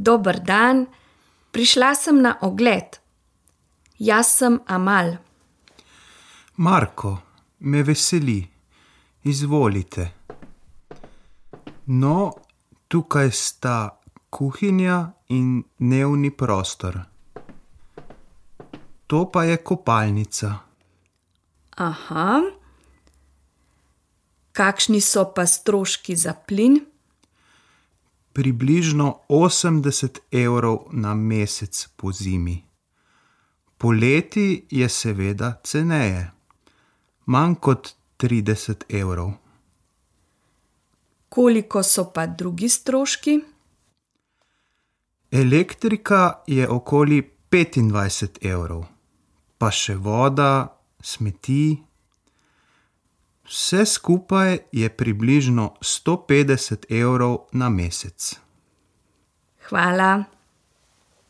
Dober dan, prišla sem na ogled. Jaz sem Amal. Marko, me veseli. Izvolite. No, tukaj sta kuhinja in dnevni prostor. To pa je kopalnica. Aha. Kakšni so pa stroški za plin? Približno 80 € na mesec pozimi. Poleti je seveda ceneje. Manj kot 30 €. Koliko so pa drugi stroški? Elektrika je okoli 25 €. Pa še voda, smeti. Vse skupaj je približno 150 € na mesec. Hvala.